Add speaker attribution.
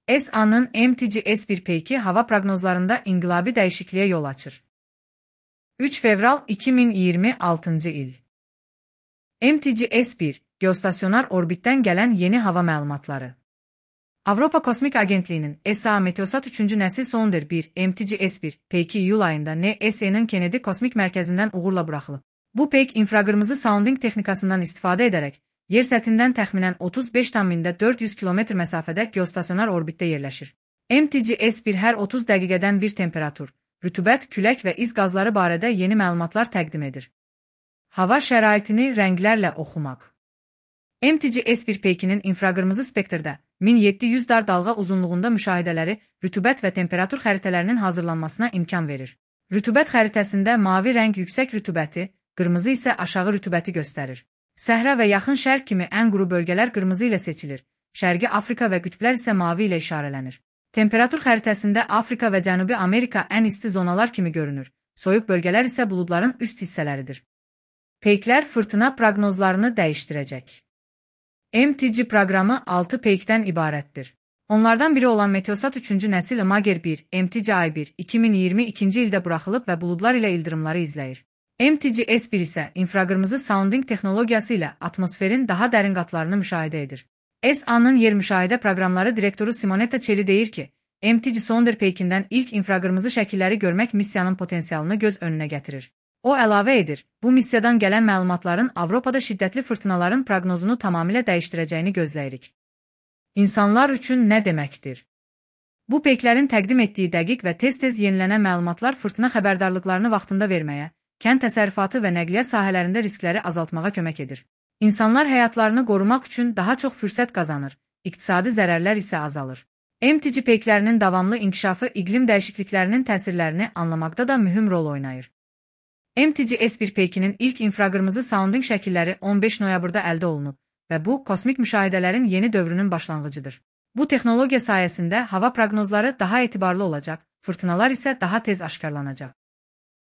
Speaker 1: ESA'nın MTG-S1 peyki hava prognozlarında inqilabi dəyişikliyə yol açır. 3 fevral 2026 il. MTG-S1, geostasionar orbitdən gələn yeni hava məlumatları. Avropa Kosmik Agentliyinin ESA Meteosat 3-cü nəsil Sonder 1 MTG-S1 peyki iyul ayında NASA'nın Kennedy Kosmik Mərkəzindən uğurla buraxılıb. Bu peyk infraqırmızı sounding texnikasından istifadə edərək, yer səthindən təxminən 35,400 km məsafədə geostasionar orbitdə yerləşir. MTG-S1 hər 30 dəqiqədən bir temperatur, rütubət, külək və iz qazları barədə yeni məlumatlar təqdim edir. Hava şəraitini rənglərlə oxumaq. MTG-S1 peykinin infraqırmızı spektrdə 1700 dar dalğa uzunluğunda müşahidələri rütubət və temperatur xəritələrinin hazırlanmasına imkan verir. Rütubət xəritəsində mavi rəng yüksək rütubəti, qırmızı isə aşağı rütubəti göstərir. Səhra və yaxın şərq kimi ən quru bölgələr qırmızı ilə seçilir, Şərqi Afrika və qütblər isə mavi ilə işarələnir. Temperatur xəritəsində Afrika və Cənubi Amerika ən isti zonalar kimi görünür, soyuq bölgələr isə buludların üst hissələridir. Peyklər fırtına proqnozlarını dəyişdirəcək. MTG proqramı 6 peykdən ibarətdir. Onlardan biri olan Meteosat 3-cü nəsil Imager 1 MTG-I1 2022-ci ildə buraxılıb və buludlar ilə ildırımları izləyir. MTG-S1 isə infraqırmızı sounding texnologiyası ilə atmosferin daha dərin qatlarını müşahidə edir. ESA-nın yer müşahidə proqramları direktoru Simonetta Celli deyir ki, MTG Sonder peykindən ilk infraqırmızı şəkilləri görmək missiyanın potensialını göz önünə gətirir. O əlavə edir, bu missiyadan gələn məlumatların Avropada şiddətli fırtınaların proqnozunu tamamilə dəyişdirəcəyini gözləyirik. İnsanlar üçün nə deməkdir? Bu peyklərin təqdim etdiyi dəqiq və tez-tez yenilənən məlumatlar fırtına xəbərdarlıqlarını vaxtında verməyə, kənd təsərrüfatı və nəqliyyat sahələrində riskləri azaltmağa kömək edir. İnsanlar həyatlarını qorumaq üçün daha çox fürsət qazanır, iqtisadi zərərlər isə azalır. MTG peyklərinin davamlı inkişafı iqlim dəyişikliklərinin təsirlərini anlamaqda da mühüm rol oynayır. MTG-S1 peykinin ilk infraqırmızı sounding şəkilləri 15 noyabrda əldə olunub və bu, kosmik müşahidələrin yeni dövrünün başlanğıcıdır. Bu texnologiya sayəsində hava proqnozları daha etibarlı olacaq, fırtınalar isə daha tez aşkarlanacaq.